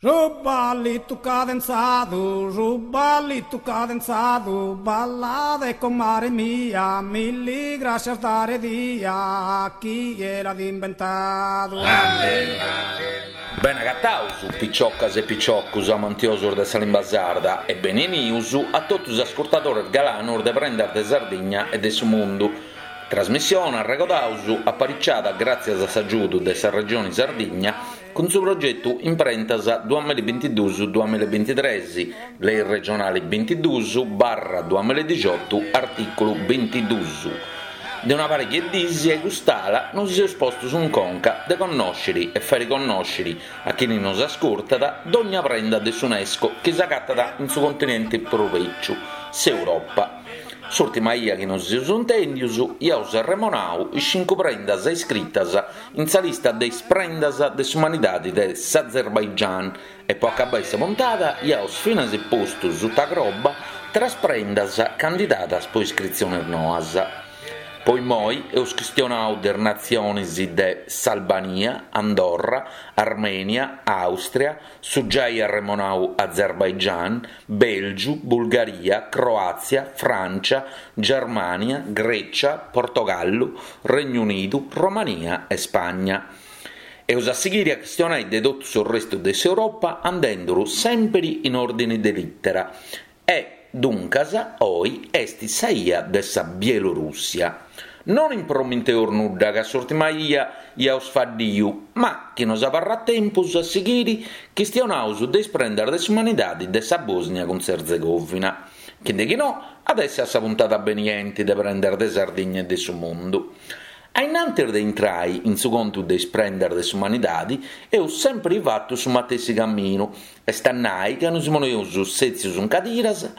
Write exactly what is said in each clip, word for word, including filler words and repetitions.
Su ballitu cadenzadu, su ballitu cadenzadu, ballade comare mia, milli grascias dare dia, chie l'at imbentadu. Bene agataus, piciocas e piciocus amantiosus de sa limba sarda e bene 'enius a totus is ascurtadores galanos de Prendas de Sardigna e de su Mundu. Trasmissione, arregodaus, apariciada gràtzias a s'agiudu de sa Regioni Sardigna cun su progetu Imprentas duamilla e bintiduus duamilla e bintitres, Lei regionali bintiduus barra duamilla e dixiotu artìculu bintiduus. De una pariga 'e dis a cust'ala nos seus postus in conca de connòsciri e fàiri connòsciri a chini nos ascurtat dogna prenda de s'UNESCO chi s'agatat in su continenti prus bèciu, s'Europa. S'ùrtima 'ia chi nos seus intèndius iaus arremonau is cincu prendas iscritas in sa lista de is prendas de s'umanidadi de s'Azerbaigian e po acabai sa puntada iaus finas postu suta croba tres prendas candidadas po iscritziones noas. Po immoi eus chistionau de is natziones de s'Albania, Andorra, Armènia, Àustria, su giai arremonau Azerbaigian, Bèlgiu, Bulgaria, Croàtzia, Frància, Germània, Grècia, Portogallu, Regnu Unidu, Romania e Spagna. Eus a sighiri a chistionai de totu su restu de s'Europa andenduru sèmpiri in òrdini de lìtera e, duncas, oi est sa 'ia de sa Bielorùssia. Non improminteus nudda ca s'ùrtima 'ia iaus faddiu, ma chi nos abarrat tempus a sighiri chistionaus de is prendas de s'umanidadi de sa Bòsnia cun s'Erzegovina. Chi de chi no, at essi a sa puntada benienti de Prendas de Sardigna e de su Mundu. A innantis de intrai in su contu de is prendas de s'umanidadi eus sèmpiri fatu su matessi caminu, est a nai ca nos poneus sètzius in cadiras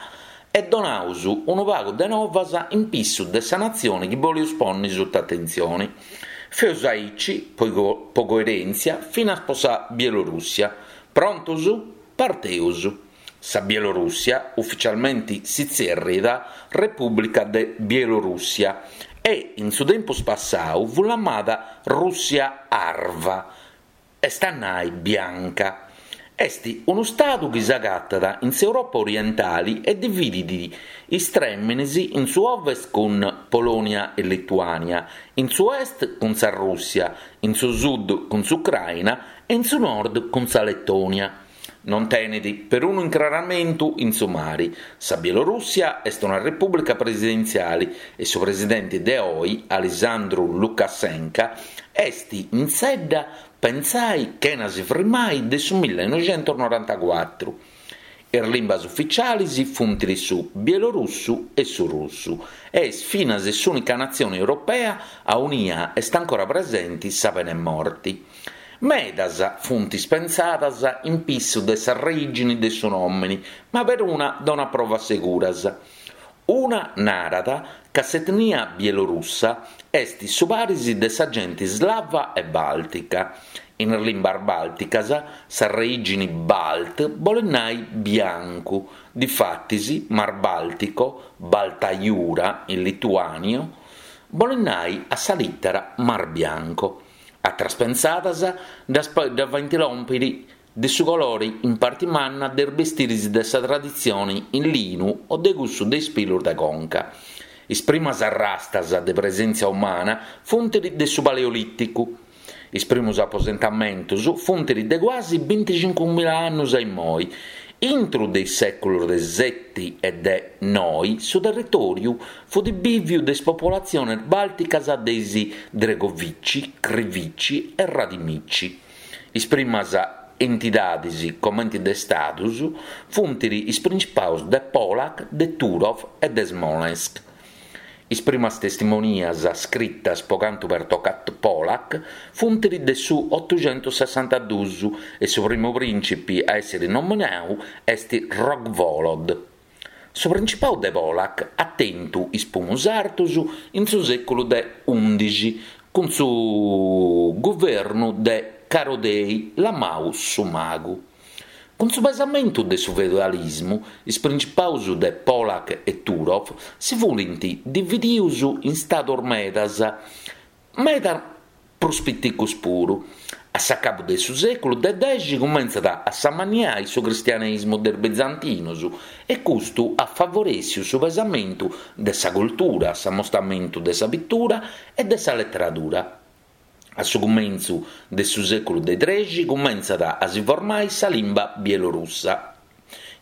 e donaus unu pagu de novas in pissu de sa natzione chi boleus ponni suta atentzione. Feus aici, po po coerèntzia, finas po sa Bielorùssia. Prontus? Parteus! Sa Bielorùssia, ufitzialmenti si tzèrriat Repùblica de Bielorùssia e in su tempus passau fut lamada Rùssia Arva, est a nai bianca. Est unu stadu chi s'agatat in s'Europa orientali e dividit is trèminis in su ovest cun Polònia e Lituània, in su est cun sa Rùssia, in su sud cun s'Ucraina e in su nord cun sa Letònia. Non tenet perunu incraramentu in su mari. Sa Bielorùssia est una repùblica presidentziale e su presidente de oi, Alisandru Lukashenka, est in sedda pentzai chena si frimai de su millenoixentusnorantacuatru. Is limbas ufitziales funt su bielorussu e su russu e est finas s'ùnica natzione europea aunia est ancora presente sa pena 'e morti. Medas funt pensadas in pissu de s'orìgini de su nòmini, ma peruna donat provas seguras. Una narat ca s'etnia bielorussa est su paris de sa gente slava e bàltica. In is limbas bàlticas s'arreìgini balt bolet nai biancu, difatis Mar Baltico, Balta Jūra in lituàniu, bolet nai a sa lìtera Mar Bianco. Atras pensadas ddas faint lòmpiri de su colore in parte manna de is bestiris de sa traditzione in linu o de cussu de is pilus de conca. Is primas arrastas de presèntzia umana funt de su Paleolìticu. Is primos aposentamentos funt de quasi binticincu mila annos a immoi. Intro de is sèculos de sete e de noe su territòriu fut bìviu de is popolatziones bàlticas de is Dregovici, Krivici e Radimici. Is primas entidades, comente de stados, funt is principados de Polak, de Turov e de Smolensk. Is primas testimonias scritas po cantu pertocat Polak funt de su otoxentusessantaduus e su primu prìncipi a èssere nominadu est Rogvolod. Su principadu de Polak at tentu is primus artos in su sèculu de ùndixi cun su guvernu de Carodei, lamadu su Magu. Cun su pesamentu de su feudalismu, is principados de Polak e Turov si funt divididos in stados medas, meda prus piticos puru. A s'acabu de su sèculu de dexi cumentzat a s'amanniai su cristianesimo de is bizantinus e custu at favorèssiu su pesamentu de sa cultura, s'amostamentu de sa pitura e de sa leteradura. A su cumentzu de su sèculu de trexi cumentzat a si formai sa limba bielorussa.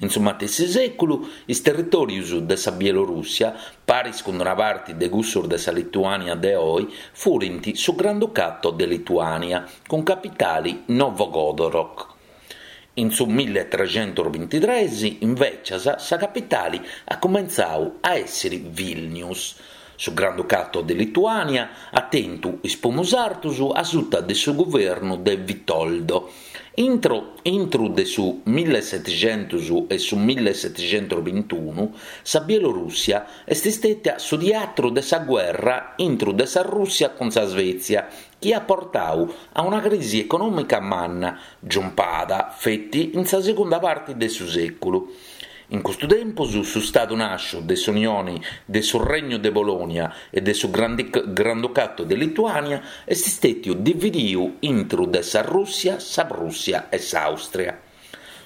In su matessi sèculu is territòrios de sa Bielorùssia, paris cun una parte de cussos de sa Lituània de oe, furint su Granducato de Lituània, cun capitale Novogrodok. In su milletrecentos bintitrès, invècias, sa capitale at cumentzadu a èssere Vilnius. Su Granducato de Lituània at tentu is primos artos a suta de su guvernu de Vitoldo. Intro, intro de su millesetixentos e su millesetixentos bintunu, sa Bielorùssia est istètia su teatru de sa gherra intro de sa Rùssia cun sa Svezia, chi at portadu a una crisi econòmica manna, giumpada feti in sa segunda parte de su sèculu. In custu tempus su Stadu nàsciu de s'Unione de su Regnu de Polònia e de su Granducato de Lituània est istètiu divididu intro de sa Rùssia, sa Prùssia e s'Àustria.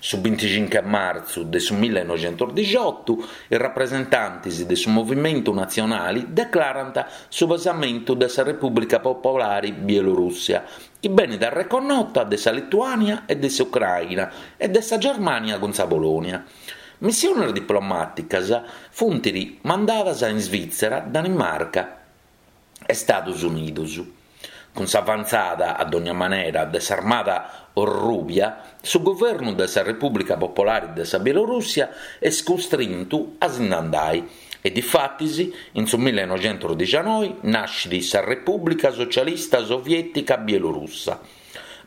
Su binticincu de martzu de su millenoixentos dixiotu is rapresentantes de su Movimentu Natzionale declarant su pesamentu de sa Repùblica Popolare Bielorussa, chi benit reconnota de sa Lituània e de s'Ucraina e de sa Germània cun sa Polònia. Missiones diplomàticas funt mandadas in Svìtzera, Danimarca e Estados Unidos. Cun s'avantzada, a dogna manera, de s'Armada Rubia, su guvernu de sa Repùblica Popolare de sa Bielorùssia est custrintu a si nd'andare e, difatis, in su millenoixentos dixannoe nascit sa Repùblica Socialista Soviètica Bielorussa.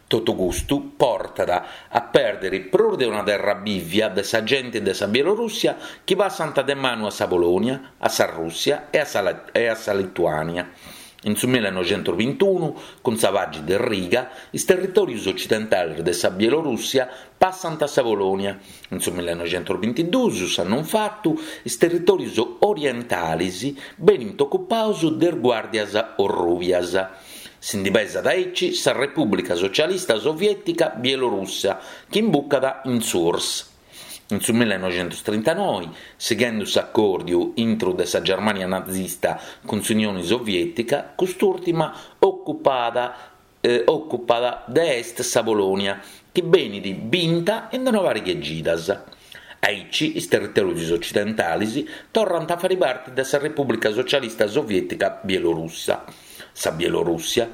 Totu custu portat a pèrdere prus de una terra bìvia de sa gente de sa Bielorùssia chi passant de manu a sa Polònia, a sa Rùssia e a sa, e a sa Lituània. In su millenoixentos bintunu, cun sa Pagi de Riga, is territòrios otzidentales de sa Bielorùssia passant a sa Polònia. In su millenoixentos bintiduos, s'annu fatu, is territòrios orientales benint ocupados de is Guàrdias Orrùbias. Si ndi pesat aici sa Repùblica Socialista Soviètica Bielorussa, chi imbucat in s'U R S S. In su millenoixentos trintanove, sighende s'acòrdiu intro de sa Germània nazista cun s'Unione Soviètica, cust'ùrtima ocupat, eh, ocupat de est sa Polònia, chi benit binta in una pariga de chidas. Aici is territòrios otzidentales torrant a fàghere parte de sa Repùblica Socialista Soviètica Bielorussa. Sa Bielorùssia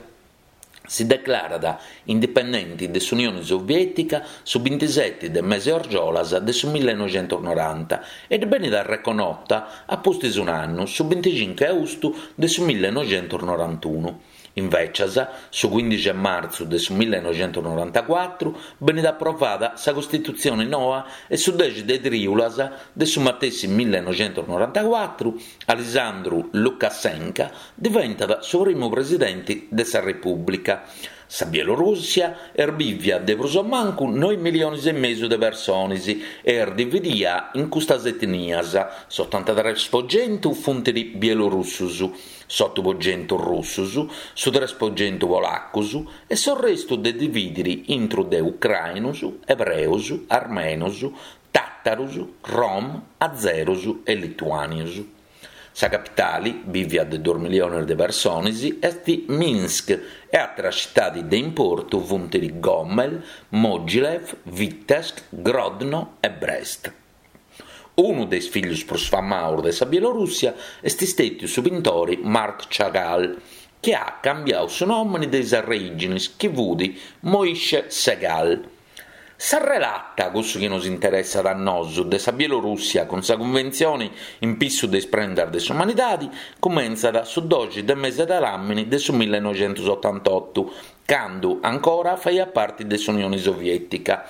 si declarat indipendente de s'Unione Soviètica su bintisete de mese argiolas de su millenoixentos noranta e benit reconnota a pustis un'annu, su binticincu de austu de su millenoixentos norantunu. Invècias, su quindixi de martzu de su millenoixentos norantacuatru benit aprovada sa Costitutzione noa e su dexi de trìulas de su matessi millenoixentos norantacuatru Alessandru Lukashenka diventat su primu presidente de sa Repùblica. Sa Bielorùssia est bìvia de prus o mancu noe miliones e mesu de persones e est dividida in custas etnias: s'otantatrès pro chentu funt bielorussos, s'oto pro chentu russos, su tres pro chentu polacos e su restu de dividire intro de ucrainos, ebreos, armenos, tàtaros, rom, azeros e lituànios. Sa capitale, bìvia de duos miliones de persones, est Minsk e àteras tzitades de importu funt Gomel, Mogilev, Vitebsk, Grodno e Brest. Unu de is fìgios prus famados de sa Bielorùssia est istètiu su pintore Marc Chagall, chi at cambiadu su nòmene de is orìgines, chi fut Moishe Segal. Sa relata, cussu chi nos interessat a nosu, de sa Bielorùssia cun sa Cunventzione in pissu de is prendas de s'umanidade, cumentzat su doxi de mese de làmini de su millenoixentos otantotu, cando ancora faiat parte de s'Unione Soviètica.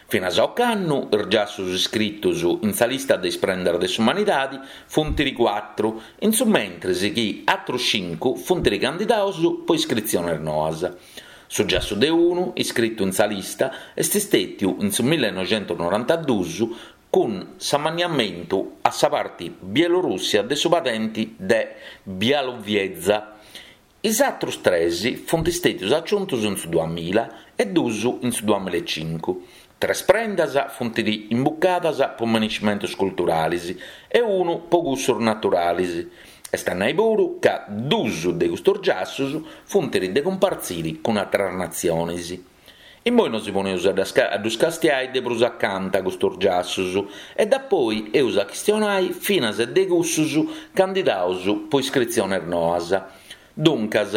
Finas a ocannu, is giassos iscritos in sa lista de is prendas de s'umanidade funt cuatru, in su mentres chi àteros cincu funt candidados pro iscritziones noas. Su giassu de unu, iscritu in sa lista, est istètiu in su millenoixentos norantaduos cun s'amanniamentu a sa parte Bielorùssia de su padente de Białowieża. Is atrus tres funt stètius aciuntus in su duamilla e duus in su duamilla e cincu. Tres prendas funt imbucadas po maniscimentus culturalis e unu po cussus naturalis. Est a nai puru ca duus de custus giassus funt de cumpartziri cun atras natzionis. Immoi nosi poneus a ddus castiai de prus acanta custus giassus e dapoi eus a chistionai finas de cussus candidaus po iscritziones noas. Duncas,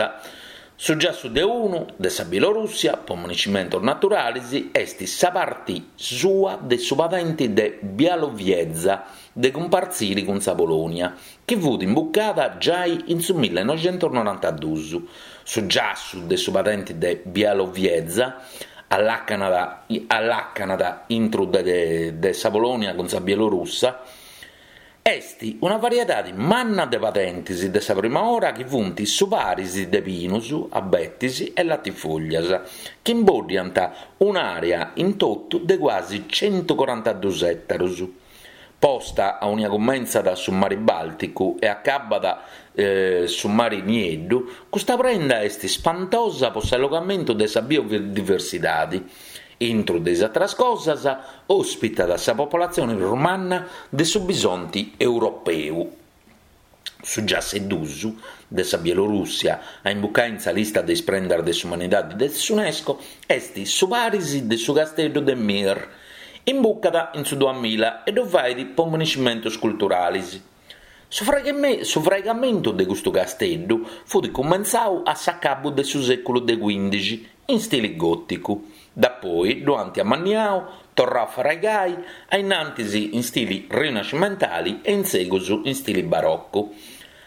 su giassu de unu, de sa Bielorussia, po maniscimentos naturalis, est sa parti sua de su padenti de Białowieża de cumpartziri cun sa Polònia, chi fut imbucada giai in su millenoixentusnorantaduus. Su giassu de su padenti de Białowieża allàcanat allàcanat intru de de sa Polònia cun sa Bielorussa, Est una variedadi manna de padentis de sa prima ora chi funt su paris de pinus, abetis e latifoglias, chi imboddiant un'àrea in totu de cuasi centucorantadus ètarus. Posta aunia cumentzat su mari Bàlticu e acabbat su mari Nieddu, custa prenda est spantosa po s'allogamentu de sa biodiversidadi. Intru de is atras cosas, òspitat sa popolatzione prus manna de su bisonti europeu. Su giassu duus de sa Bielorussia, a imbucai in sa lista de is prendas de s'umanidadi de s'UNESCO, est su paris de su casteddu de Mir. Imbucat in su duamilla e ddu fait po maniscimentus culturalis. Su fraigamentu de custu casteddu fut cumentzau a s'acabu de su sèculu de cuindixi, in stili gòticu. Dapoi ddu ant amanniau, torrau a fraigai, a innantis in stili rinascimentali e in segus in stili barocu.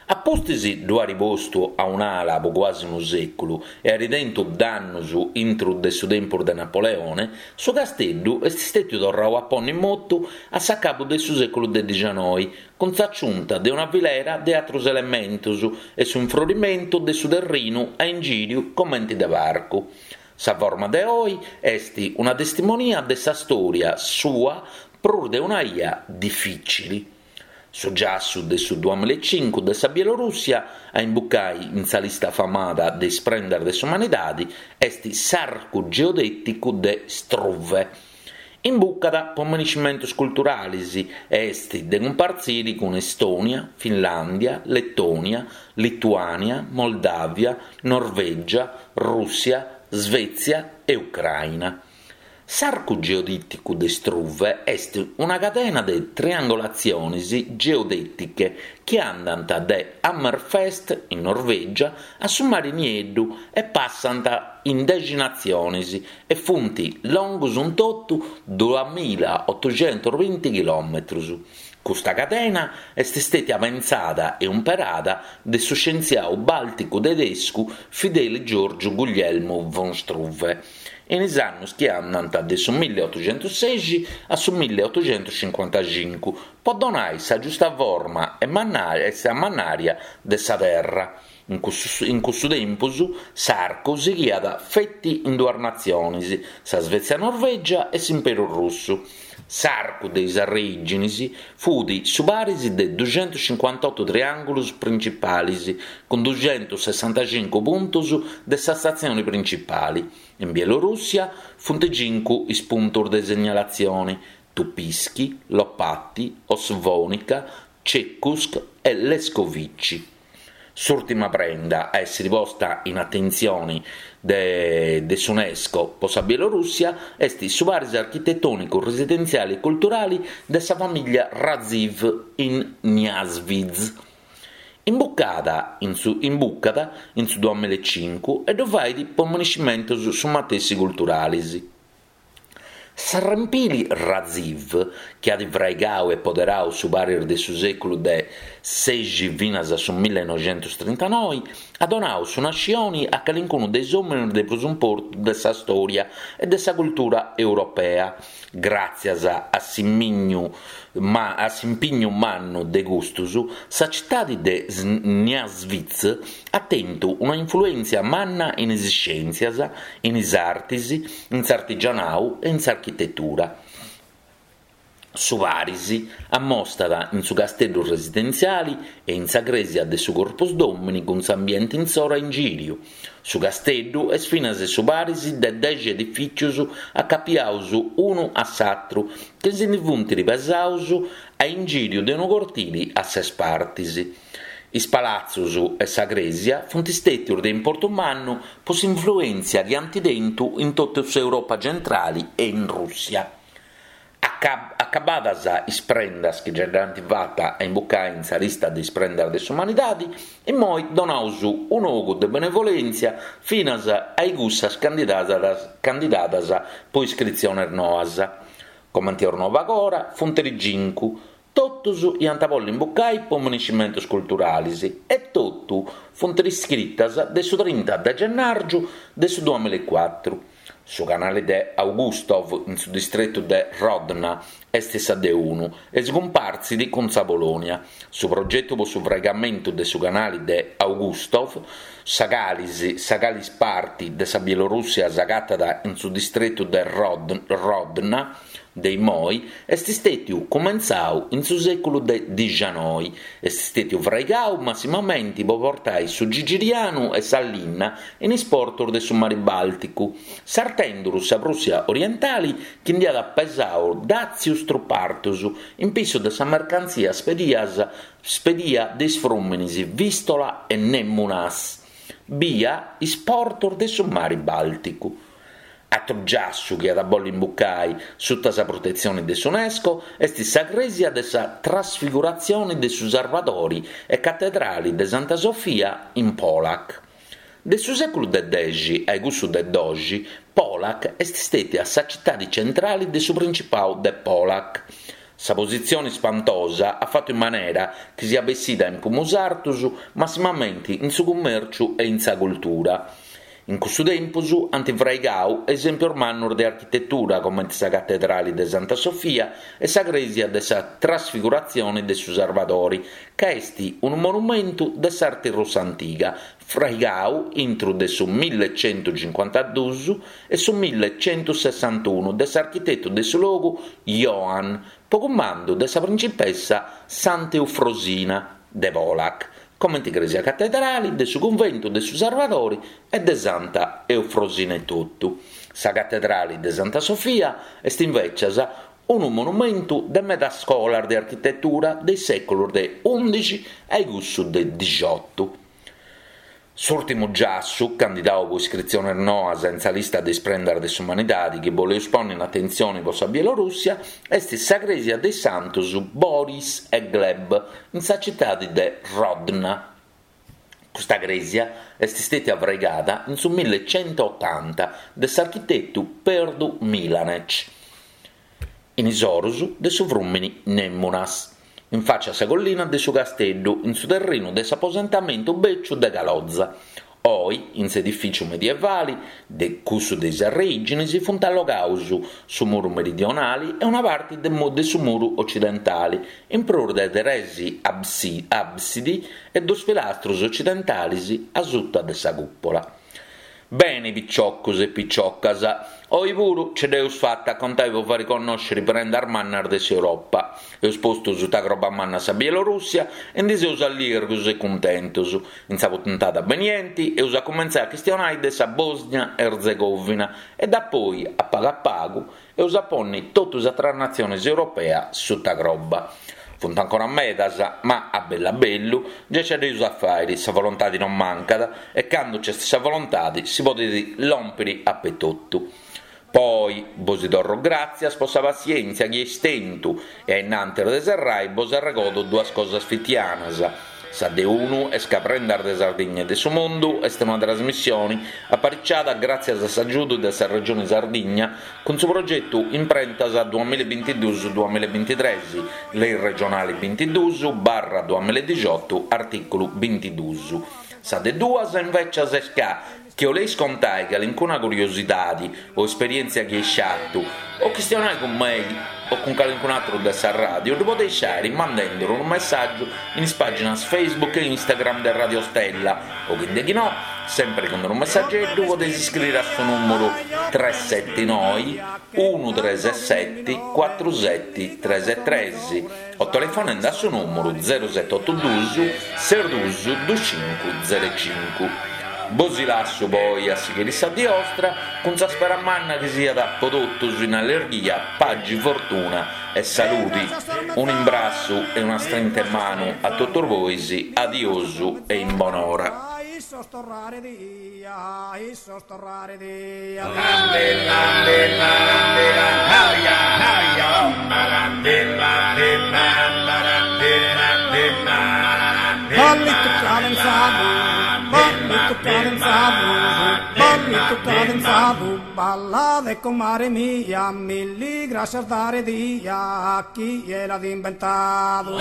A pustis ddu ant postu a un'ala po cuasi unu sèculu e at tentu dannus intru de su tempus de Napoleone, su casteddu est stètiu torrau a ponni in motu a s'acabu de su sèculu de dixanoi, cun s'aciunta de una filera de atrus elementus e su infrorimentu de su terrinu a ingìriu comenti de parcu. Sa forma de oi est una testimonia de sa stòria sua prus de una ia difìcili. Su giassu de su duamilla e cincu de sa Bielorussia, a imbucai in sa lista famada de is prendas de s'umanidadi, est s'arcu geodèticu de Struve. Imbucat po maniscimentus culturalis e est de cumpartziri cun Estònia, Finlàndia, Letònia, Lituània, Moldàvia, Norvègia, Rùssia, Svètzia e Ucraina. S'arcu geodèticu de Struve est una cadena de triangolatziones geodètiche chi andant de Hammerfest, in Norvègia, a su Mare Nieddu e passant in dexi natziones e funt longus in totu duamilla otoxentusbinti chilòmetrus. Custa cadena est stètia pentzada e umperada de su scientziau bàlticu tedescu Fideli Giorgiu Guglielmu von Struve in is annus chi andant de su milliotoxentussexi a su milliotoxentuscincuantacincu po donai sa giusta forma e e sa mannària de sa terra. In cussu in cussu tempus s'arcu sighiat feti in duas natziones, sa Svezia-Norvègia e s'Imperu Russu. S'arcu de is arrèiginis fut su paris de duxentuscincuantotu triàngulus principalis, cun duxentussessantacincu puntus de sa statzione principali. In Bielorussia funt cincu is puntus de segnalatzione, Tupiski, Lopati, Osvonica, Chekusk e Leskovichy. S'ùrtima prenda a èssere posta in atentzione de de s'UNESCO po sa Bielorussia est su paris architetònicu residentziale e culturale de sa famìllia Radziwiłł in Niasvizh. Imbucada in su imbucat in su duamilla e cincu e ddu fait po maniscimentos su matessi culturales. S'arrempili Radziwiłł, chi at fraigau e poderau su paris de su sèculu de sexi finas a su millenoixentustrintanoe, at donau su nascioni a calincunu de is òmines de prus importu de sa stòria e de sa cultura europea, gràtzias a s'impignu ma a s'impignu mannu de custus, sa citade de Niasvizh at tentu una influèntzia manna in is scièntzias, in is artes, in s'artigianau e in s'architetura. Su paris ammostat in su casteddu residentziali e in sa crèsia de su Corpus Domini cun s'ambienti insoru a ingìriu. Su casteddu est finas su paris de dexi edifìtzios acapiados unu a s'àteru chi si ndi funt pesados a ingìriu de unu cortile a ses partes. Is palatzos e sa crèsia funt istètios de importu mannu pro s'influèntzia chi ant tentu in totu s'Europa centrale e in Rùssia. Acabadas is prendas chi giai dd'ant fata a imbucai in sa lista de is prendas de s'umanidade, immoi donaus un'ogu de benevolèntzia finas a cussas candidadas, candidadas pro iscritziones noas. Comente eus nau agora, funt cincu, totus iant a bolli imbucai pro minescimentos culturales e totu funt iscritas de su trinta de gennàrgiu de su duamillacuatru. Su canale de Augustov in su distretu de Hrodna est sa de unu e si cumpartzit cun sa Polònia. Su progetu pro su fraigamentu de su canale de Augustov, sa calis, sa calis parte de sa Bielorùssia s'agatat in su distretu de Rod, Hrodna de immoi, est istètiu cumentzadu in su sèculu de dicianoi. Est istètiu fraigadu massimamente pro portare su gigirianu e sa linna in is portos de su Mare Bàlticu, sartenduru sa Prùssia orientale chi nd'iat pesadu dàtzios tropu artos in pissu de sa mercantzia spedias, spedia de is frùmenes Vistola e Nemunas, bia is portos de su Mare Bàlticu. Atru giassu chi at a bolli imbucai sutta sa protetzione de s'UNESCO est sa crèsia de sa Trasfiguratzione de su Salvadori e Catedrale de Santa Sofia in Polack. De su sèculu de dexi a cussu de doxi, Polack est stètia sa citade centrale de su Principadu de Polack. Sa positzione spantosa at fatu in manera chi siat bessida in pumus artos, massimamente in su cummèrciu e in sa cultura. In cussu tempus ant fraigadu esèmpios mannos de architetura comente sa Catedrale de Santa Sofia e sa Crèsia de sa Trasfiguratzione de su Salvadori, ca est unu monumentu de s'arte russa antiga, fraigadu intro de su millecentocincuantaduos e su millecentosessantunu de s'architetu de su logu Johann, pro cumandu de sa principessa Santa Eufrosina de Polack, comente crèsia catedrale de su cunventu de su Salvadori e de Santa Eufrosina etotu. Sa Catedrale de Santa Sofia est invecias unu monumentu de medas scolas de architetura dei sèculos de undixi a cussu de diciotto. S'ùrtimu giassu, candidadu pro iscritziones noas in sa lista de is prendas de s'umanidade chi boleus ponni in atentzione pro sa Bielorùssia, est sa crèsia de Santos Boris e Gleb in sa citade de Hrodna. Custa crèsia est stètia fraigada in su millecentotanta de s'architetu Perdu Milanec, in is oros de su frùmene Nemunas, in faccia a sa collina de su Casteddu, in su terrinu de s'aposentamentu bèciu de Caloza. Oi, in s'edifìtziu medievale de cussu de is arreìgines, funt allogados su muru meridionale e una parte de, de su muru occidentale, in prus de tres absi, absidi e dos pilastros occidentales a sutta de sa cupola. Bene, picioccos e picioccas, oi puru ce dd'eus fatta a contai po fari connoscere prendas mannas de s'Europa. Eus postu sutta croba manna sa Bielorussia e ndi seus allirgos e cuntentos. In sa puntata benienti eus a cumentzare a chistionai de sa Bosnia-Erzegovina e da poi, a pagu a pagu, eus a ponni totu sa tres natziones europea sutta croba. Funt ancora medas, ma a bellu a bellu già ce dd'eus a fare, sa volontade non mancat e cando c'è sa volontade si podet lompere a petottu. Poi, bos torro gràtzias po sa passièntzia chi eis tentu e a innantis de serrai bos arregodo duas cosas fitianas. Sa de unu est ca Prendas de Sardigna e de su Mundu est una trasmissione apariciada gràtzias a s'agiudu de sa Regione Sardigna cun su progetu Imprentas duamillabintiduus duamillabintitres, Lei regionale bintiduus barra duamilladiciotto, articulu bintiduus. Sa de duas invecias est ca chi 'oleis contai calincuna curiosidade o esperièntzia chi eis fatu o chistionai cun mei o cun calincun atru de sa radio, ddu podeis fari mandenduru unu messàgiu in is pàginas Facebook e Instagram de Radio Stella o chi no Sempri cun unu messageddu podeis iscriri a su nùmuru tres seti noi unu tres seti cuatru seti tres tres o telefonende a su nùmuru zero seti otu dus ses dus dus cincu zero cincu. Bosi lassu po oi a sighiri sa die 'ostra cun sa spera manna chi siat po totus in allerghia, pagi, fortuna e saludi. Un'imbrassu e una strinta 'e manu a totus bois, adiosu e in bonora. Issos torrare dia, issos torrare dia. Ballitu cadenzadu, ballitu cadenzadu, ballitu cadenzadu, ballade comare mia, milli grascias dare dia, chie l'at imbentadu.